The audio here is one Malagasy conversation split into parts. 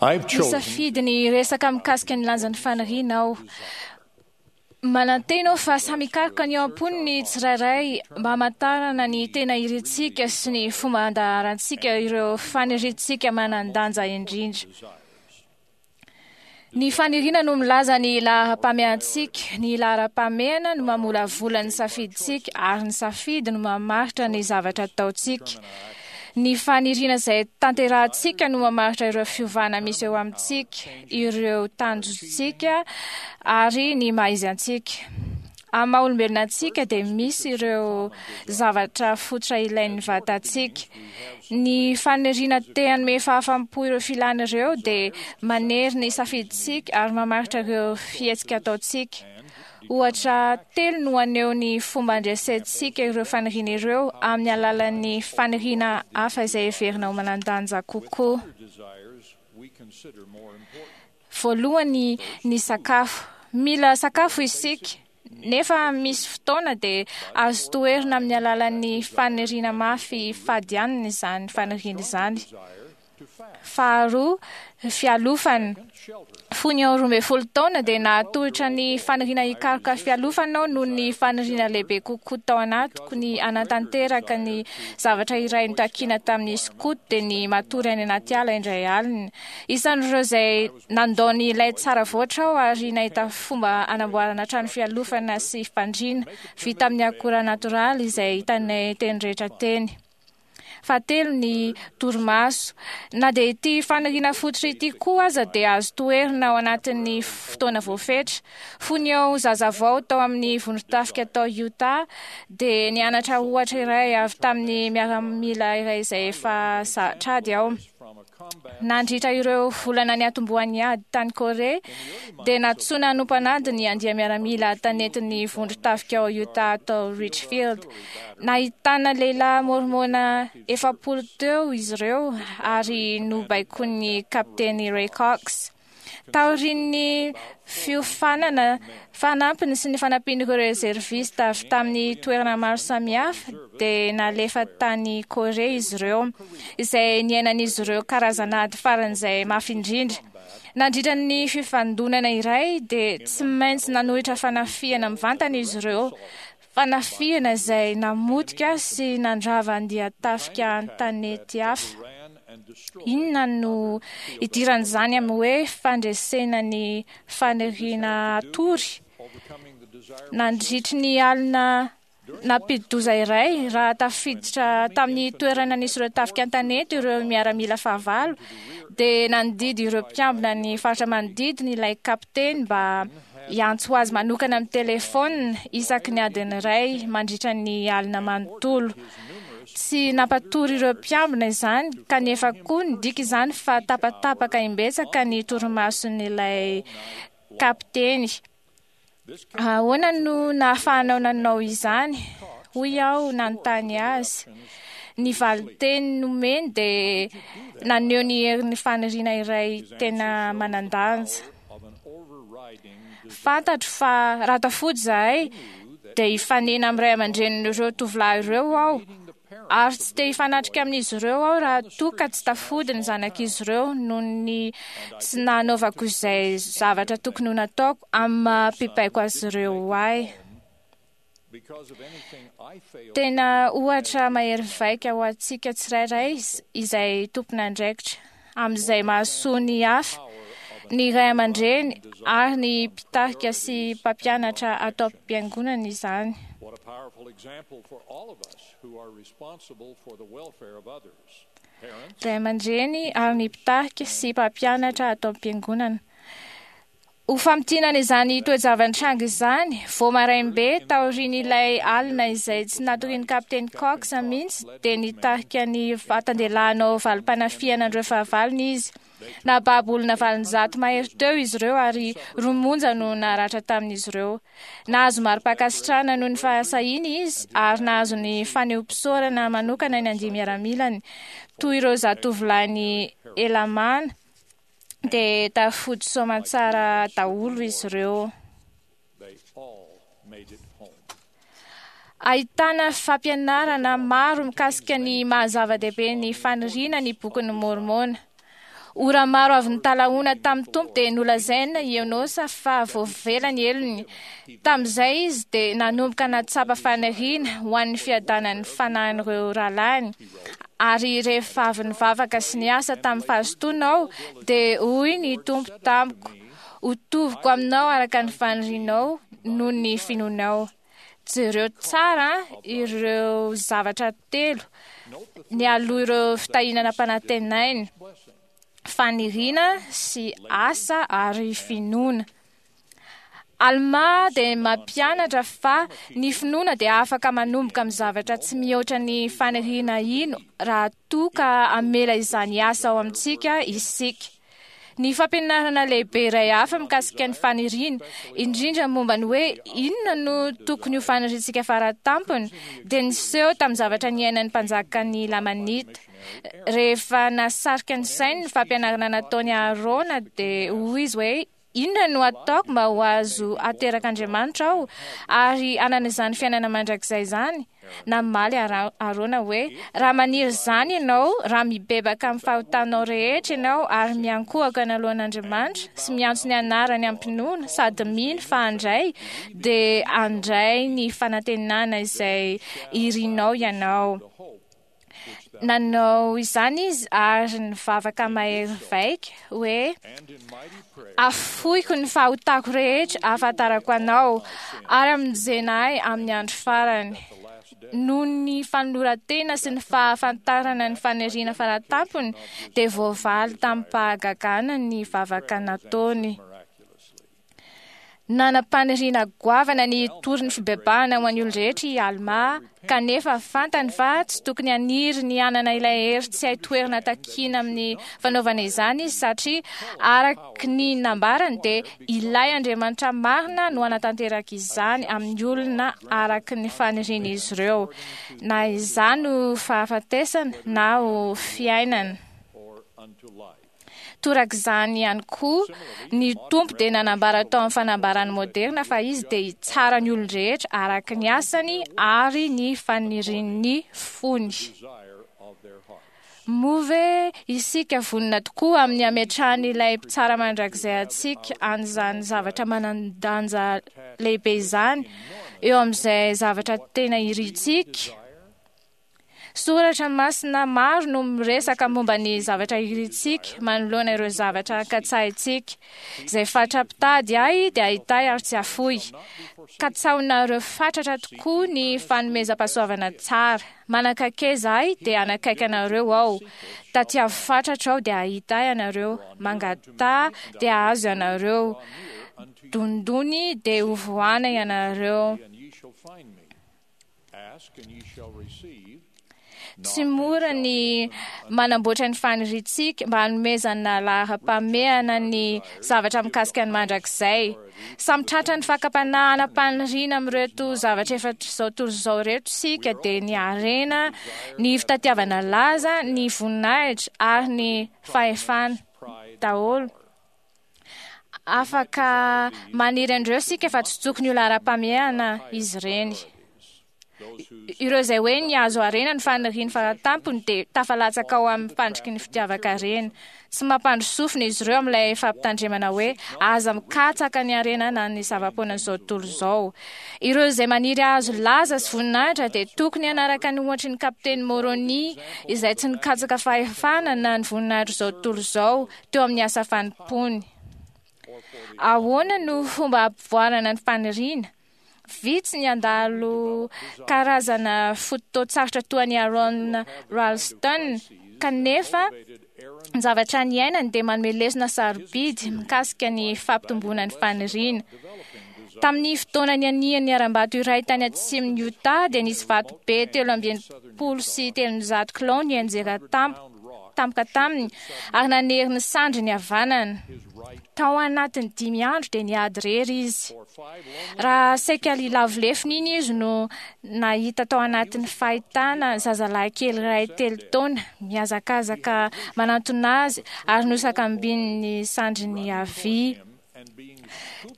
Nisafidy ny hiresaka mikasika ny lanjan'ny faniriana aho. Manantena aho fa samy hikaroka ny ao am-pony ny tsirairay mba hamantarana ny tena irintsika sy ny fomba handaharantsika ireo faniriantsika manan-danja indrindra. Ny faniriana no milaza ny laharam-pahamehantsika, ny laharam-pahamehana no mamolavola ny safidintsika ary ny safidy no mamaritra ny zavatra ataontsika. Ny faniriana izay tanterahantsika no mamaritra ireo fiovana misy eo amintsika, ireo tanjontsika ary ny maha izy antsika. Amin'ny maha olombelona antsika dia misy ireo zavatra fototra ilain'ny vatantsika. Ny faniriana te hanome fahafaham-po ireo filana ireo dia manery ny safidintsika ary mamaritra ireo fihetsika ataontsika. Ohatra telo no haneho ny fomba andresentsika ireo faniriana ireo amin'ny alalan'ny faniriana hafa izay heverina ho manan-danja kokoa. Voalohany, ny sakafo. Mila sakafo isika, nefa misy fotoana dia azo toherina amin'ny alalan'ny faniriana mafy fady hanina izany faniriana izany. Faharoa, fialofana. Fony aho 12 taona dia nahatohitra ny faniriana hikaroka fialofana aho noho ny faniriana lehibe kokoa tao anatiko ny hanatanteraka ny zavatra iray notakina tamin'ny skoto dia ny matory any anaty ala indray alina. Isan'ireo izay nandao ny lay tsara voatra aho ary nahita fomba hanamboarana trano fialofana sy fandriana vita amin'ny akora natoraly izay hitanay teny rehetra teny. Fahatelo ny torimaso. Na dia ity faniriana fototra ity koa aza dia azo toherina ao anatin'ny fotoana voafetra. Fony aho zazavao tao amin'ny vondron-tafika tao Utah dia nianatra ohatra iray avy tamin'ny miaramila iray izay efa zatra ady aho. Nandritra ireo volana niatombohan'ny ady tany Korea, dia nantsoina hanompo an'ady ny andia-miaramila tanetin'ny vondron-tafika ao Utah tao Richfield. Nahitana lehilahy môrmôna 40 teo izy ireo ary nobaikoin'ny Kapiteny Ray Cox. Taorian'ny fiofanana fanampiny sy ny fanampian'ireo rezervista avy tamin'ny toerana maro samihafa, dia nalefa tany Korea izy ireo, izay niainan'izy ireo karazana ady faran'izay mafy indrindra. Nandritra ny fifandonana iray, dia tsy maintsy nanohitra fanafihana mivantana izy ireo, fanafihana izay namotika sy nandrava andian-tafika an-tanety hafa. Inona no idiran'izany amin'ny hoe fandresena ny faniriana hatory? Nandritry ny alina nampidi-doza iray, raha tafiditra tamin'ny toerana nisy ireo tafika an-tanety ireo miaramila fahavalo, dia nandidy ireo mpiambina ny faritra manodidina ilay kapiteny mba hiantso azy manokana amin'ny telefaonina isaky ny adiny iray mandritra ny alina manontolo. Tsy nampatory ireo mpiambina izany, kanefa koa nidika izany fa tapatapaka imbetsaka ny torimason'ilay kapiteny. Ahoana no nahafahanao nanao izany? Hoy aho nanontany azy. Ny valin-teny nomeny dia naneho ny herin'ny faniriana iray tena manan-danja. Fantatro fa raha tafody izahay dia hifanena amin'ny ray aman-drenin'ireo tovolahy ireo aho, ary tsy te hifanatrika amin'izy ireo aho raha toa ka tsy tafody ny zanak'izy ireo noho ny tsy nanaovako izay zavatra tokony ho nataoko amin'ny maha mpibaiko azy ireo ahy. Tena ohatra mahery vaika ho antsika tsirairay izay tompon'andraikitra amin'izay mahasoa ny hafa, ny ray aman-dreny ary ny mpitarika sy mpampianatra ato am-piangonana izany. Ray aman-dreny ary ny mpitarika sy mpampianatra ato am-piangonana. Ho famintinana izany toe-java-nitranga izany, vao maraim-be taorian'ilay alina izay tsy natorian'ny Kapiteny Cox mihitsy dia nitarika ny vatan-dehilahy hanao valim-panafihana an'ireo fahavalony izy. Nahababo olona 800 mahery teo izy ireo ary roa monja no naratra tamin'izy ireo. Nahazo mari-pankasitrahana noho ny fahasahiany izy ary nahazo ny fanehoam-pisaorana manokana ny andia-miaramilany, toy ireo zatovolahin'i Helamàna. dia tafody soamantsara daholo izy ireo. Ahitana fampianarana maro mikasika ny maha zava-dehibe ny faniriana ny Bokin'i Môrmôna. Ora maro avy nitalahoana tamin'ny Tompo dia nolazaina i Enôsa fa voavela ny helony. Tamin'izay izy dia nanomboka nahatsapa faniriana ho an'ny fiadanan'ny fanahin'ireo rahalahiny. Ary rehefa avy nivavaka sy niasa tamin'ny fahazotoana aho, dia hoy ny Tompo tamiko, Hotoviko aminao araka ny fanirianao noho ny finoanao. Jereo tsara ireo zavatra telo nialoha ireo fitahiana nampanantenainy: faniriana sy asa ary finoana. Almà dia mampianatra fa ny finoana dia afaka manomboka amin'ny zavatra tsy mihoatra ny faniriana hino raha toa ka hamela izany hiasa ao amintsika isika. Ny fampianarana lehibe iray hafa mikasika ny faniriana, indrindra momba ny hoe inona no tokony ho faniriantsika faratampony, dia niseho tamin'ny zavatra niainan'ny mpanjakan'ny Lamanita. Rehefa nahasarika ny sainy ny fampianarana nataon'i Aharôna, dia hoy izy hoe, Inona no hataoko mba ho azo aterak'Andriamanitra aho ary hanana izany fiainana mandrakizay izany? Namaly Arona hoe, Raha maniry izany ianao, raha mibebaka amin'ny fahotanao rehetra ianao ary miankohoka eny alohan'Andriamanitra sy miantso ny anarany am-pinoana sady mino fa handray, dia handray ny fanantenana izay irinao ianao. Nanao izany izy ary nivavaka mahery vaika hoe, Afoiko ny fahotako rehetra ahafantarako anao, ary amonjena ahy amin'ny andro farany. Noho ny fanoloran-tena sy ny fahafantarana ny faniriana faratampony, dia voavaly tamim-pahagagana ny vavaka nataony. Nanam-paniriana goavana ny hitory ny fibebahana ho an'ny olon-drehetra i Almà, kanefa fantany fa tsy tokony haniry ny hanana ilay hery tsy hay toherina takiana amin'ny fanaovana izany izy, satria araka ny nambarany dia ilay Andriamanitra marina no hanatanteraka izany amin'ny olona araka ny fanirian'izy ireo, na izany ho fahafatesana na ho fiainana. Torak'izany ihany koa, ny Tompo dia nanambara tao amin'ny fanambarany moderina fa Izy dia hitsara ny olon-drehetra araka ny asany ary ny fanirian'ny fony. Moa ve isika vonona tokoa amin'ny hametrahan'ilay Mpitsara Mandrakizay antsika an'izany zavatra manan-danja lehibe izany eo amin'izay zavatra tena irintsika? Soratra masina maro no miresaka momba ny zavatra irintsika manoloana ireo zavatra katsahintsika. Izay fatra-pitady ahy dia hitahy ary tsy hafoy. Katsahonareo fatratra tokoa ny fanomezam-pahasoavana tsara. Manakaiza ahy dia hanakaiky anareo aho. Tatiavo fatratra aho dia hahita ahy ianareo. Mangataha dia hahazo ianareo. Dondony dia hovohana ianareo. Tsy mora ny manamboatra ny faniriantsika mba hanomezana laharam-pahamehana ny zavatra mikasika ny mandrakizay. Samy tratran'ny fakam-panahy hanam-paniriana amin'ireto zavatra efatr'izao tontolo izao ireto isika, dia ny harena, ny fitadiavana laza, ny voninahitra ary ny fahefana daholo. Afaka maniry an'ireo isika fa tsy tokony ho laharam-pahamehana izy ireny. Ireo izay hoe ny azo harena ny faniriany faratampony dia tafalatsaka ao amin'ny fandriky ny fitiavan-karena. Tsy mampandry sofina izy ireo amin'ilay fampitandremana hoe aza mikatsaka ny harena na ny zava-poanan'izao tontolo izao. Ireo izay maniry hahazo laza sy voninahitra dia tokony hanaraka ny ohatry ny kapiteny Moroni izay tsy nikatsaka fahefana na ny voninahitr'izao tontolo izao teo amin'ny asa fanompoany. Ahoana no fomba hampivoarana ny faniriana? Vitsy ny handalo karazana fotoan-tsarotra toa an'i Aaron Ralston, kanefa ny zavatra niainany dia manome lesona sarobidy mikasika ny fampitomboana ny faniriana. Tamin'ny fotoana nianihan'ny harambato iray tany atsimon'i Utah dia nisy vato be 363 kilao nianjera tampoka tampoka taminy ary nanery ny sandriny havanana. Tao anatin'ny 5 andro dia niady irery izy. Raha saika lilavo lefona iny izy no nahita tao anatin'ny fahitana zazalahy kely iray 3 taona mihazakazaka manantona azy ary nosakambin'ny sandriny havia.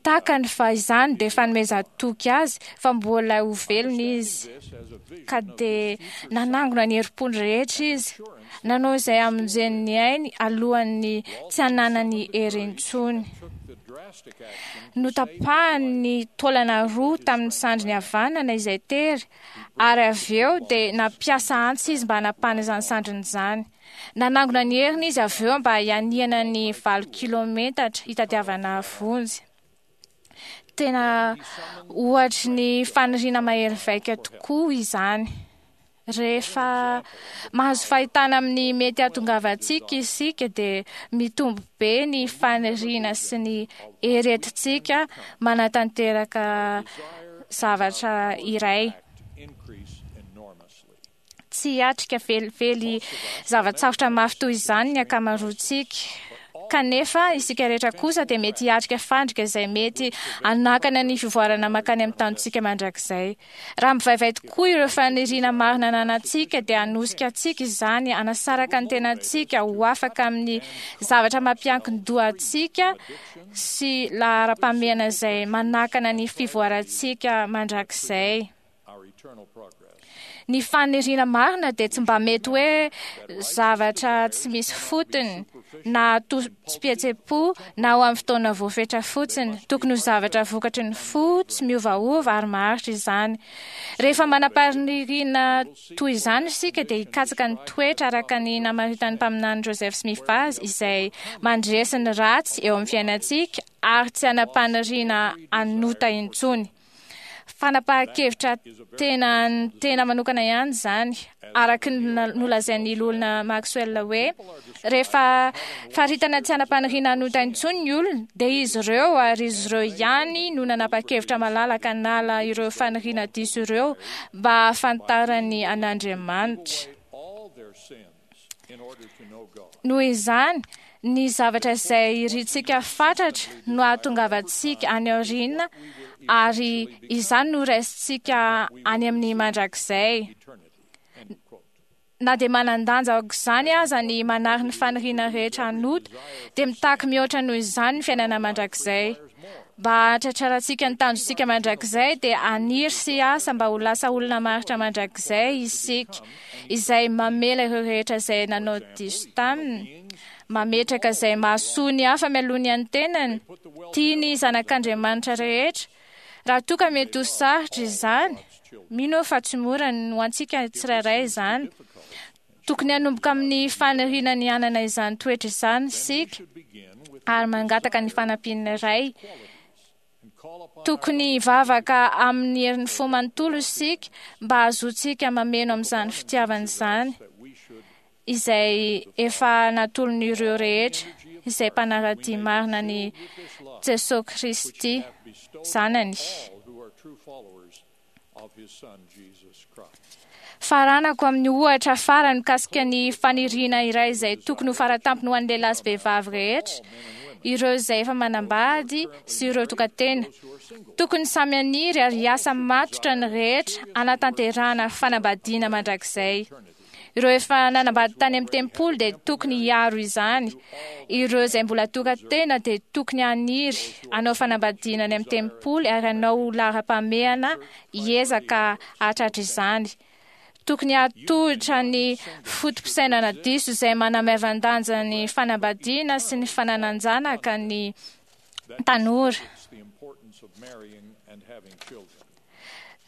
Takany fa izany dia fanomezan-toky azy fa mbola ho velona izy. Ka dia nanangona ny herim-pony rehetra izy, nanao izay hamonjeny ny ainy alohan'ny tsy hananany hery intsony. Notapahany ny taolana roa tamin'ny sandriny havanana izay tery, ary avy eo dia nampiasa antsy izy mba hanapahana izany sandriny izany. Nanangona ny heriny izy avy eo mba hianihana ny 8 kilometatra hitadiavana vonjy. Tena ohatry ny faniriana mahery vaika tokoa izany. Rehefa mahazo fahitana amin'ny mety hahatongavantsika isika dia mitombo be ny faniriana sy ny hery entintsika manatanteraka zavatra iray. Tsy hiatrika velively zava-tsarotra mafy toy izany ny ankamaroantsika. Kanefa isika rehetra kosa dia mety hiatrika fandrika izay mety hanakana ny fivoarana mankany amin'ny tanjontsika mandrakizay. Raha mivaivay tokoa ireo faniriana marina ananantsika dia hanosika antsika izany hanasaraka ny tenantsika ho afaka amin'ny zavatra mampiankin-doha antsika sy laharam-pahamehana izay manakana ny fivoarantsika mandrakizay. Ny faniriana marina dia tsy mba mety hoe zavatra tsy misy fotony na tosi-pihetseham-po na ho amin'ny fotoana voafetra fotsiny. Tokony ho zavatra vokatry ny fo tsy miovaova ary maharitra izany. Rehefa manam-paniriana toy izany isika dia hikatsaka ny toetra araka ny namaritan'ny mpaminany Joseph Smith azy, izay mandresy ny ratsy eo amin'ny fiainantsika ary tsy hanam-paniriana hanota intsony. Fanapahan-kevitra tena tena manokana ihany izany, araka ny nolazain'ny loholona Maxwell hoe rehefa faritana tsy hanam-paniriana hanota intsony ny olona, dia izy ireo ary izy ireo ihany no nanapa-kevitra malalaka hanala ireo faniriana diso ireo mba hahafantarany an'Andriamanitra. Noho izany, ny zavatra izay irintsika fatratra no hahatongavantsika any aoriana, ary izany no raisintsika any amin'ny mandrakizay. Na dia manan-danja aok'izany aza ny manary ny faniriana rehetra hanota, dia mitaky mihoatra noho izany ny fiainana mandrakizay. Mba hahatratrarantsika ny tanjontsika mandrakizay dia haniry sy hiasa mba ho lasa olona maharitra mandrakizay isika, izay mamela ireo rehetra izay nanao diso taminy, mametraka izay mahasoa ny hafa mialoha ny an'ny tenany, tia ny zanak'Andriamanitra rehetra. Raha toa ka mety ho sarotra izany, mino aho fa tsy mora ho antsika tsirairay izany. Tokony hanomboka amin'ny faniriana ny hanana izany toetra izany isika ary mangataka ny fanampian'ny Ray. Tokony hivavaka amin'ny herin'ny fo manontolo isika mba hahazoantsika mameno amin'izany fitiavana izany, izay efa natolon'ireo rehetra izay mpanara-dia marina an'i Jesoa Kristy Zanany. Faranako amin'ny ohatra farany mikasika ny faniriana iray izay tokony ho faratampony ho an'ny lehilahy sy vehivavy rehetra, ireo izay efa manambady sy ireo tokan-tena. Tokony samy haniry ary hiasa matotra ny rehetra hanatanterahana fanambadiana mandrakizay. Ireo efa nanambady tany amin'ny tempoly dia tokony hiaro izany. Ireo izay mbola tokan-tena dia tokony haniry hanao fanambadiana any amin'ny tempoly ary hanao ho laharam-pahamehana hiezaka hahatratra izany. Tokony hahatohitra ny foto-pisainana diso izay manamaivan-danja ny fanambadiana sy ny fananan-janaka ny tanora.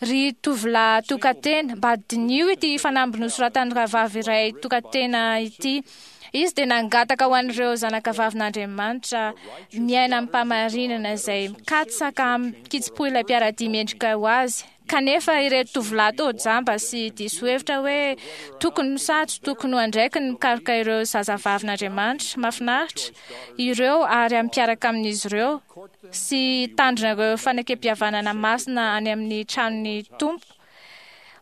Ry tovolahy tokan-tena, mba diniho ity fanamby nosoratan'ny rahavavy iray tokan-tena ity. Izy dia nangataka ho an'ireo zanakavavin'Andriamanitra miaina amim-pahamarinana izay mikatsaka amin-kitsim-po ilay mpiara-dia mendrika ho azy. Kanefa ireto tovolahy toa jamba sy diso hevitra hoe tokony sa tsy tokony ho andraikiny ny mikaroka ireo zazavavin'Andriamanitra mahafinaritra ireo ary hampiaraka amin'izy ireo sy hitandrina ireo fanekempihavanana masina any amin'ny tranon'ny Tompo.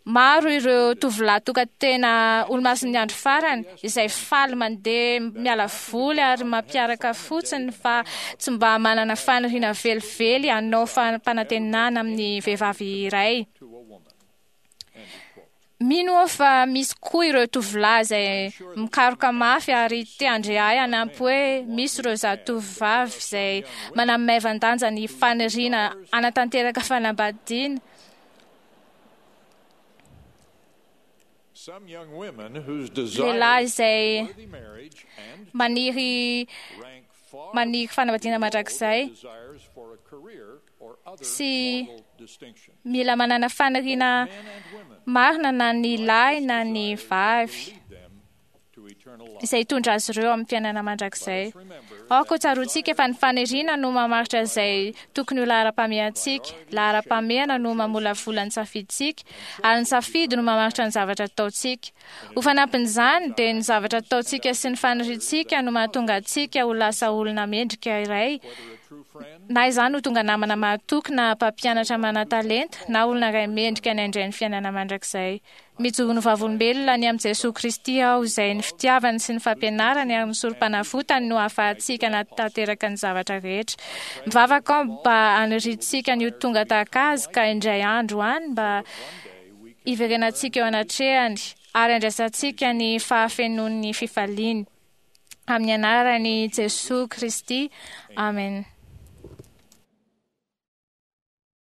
Maro ireo tovolahy tokan-tena olomasin'ny andro farany izay faly mandeha miala voly ary mampiaraka fotsiny fa tsy mba manana faniriana velively hanao fampanantenana amin'ny vehivavy iray. Mino aho fa misy koa ireo tovolahy izay mikaroka mafy ary te handre ahy hanampy hoe misy ireo zatovovavy izay manamaivan-danja ny faniriana hanatanteraka fanambadiana. Some young women whose desire Lehilahy izay worthy marriage and maniry rank far maniry fanambadiana below mandrakizay desires for a career or other sy mortal distinction. mila manana faniriana Men and women marina na ny lahy na ny vavy lead them to eternal life. izay hitondra azy ireo amin'ny fiainana mandrakizay. Remember Aoka ho tsaroantsika fa ny faniriana no mamaritra izay tokony ho laharam-pahamehantsika. Laharam-pahamehana no mamolavola ny safidintsika ary ny safidy no mamaritra ny zavatra ataontsika. Ho fanampin'izany dia ny zavatra ataontsika sy ny faniriantsika no mahatonga antsika ho lasa olona mendrika iray, whether a true friend na izany ho tonga namana mahatoky na mpampianatra manan-talenta na olona iray mendrika ny handray ny fiainana mandrakizay. Mijoro ho vavolombelona ny amin'i Jesoa Kristy aho izay ny fitiavany sy ny fampianarany ary ny sorom-panavotany no ahafahantsika hanatanteraka ny zavatra rehetra. Mivavaka aho mba haniriantsika ny ho tonga tahaka azy ka indray andro any mba hiverenantsika eo anatrehany ary handraisantsika ny fahafenoan'ny fifaliany. Amin'ny anaran'i Jesoa Kristy. Amen.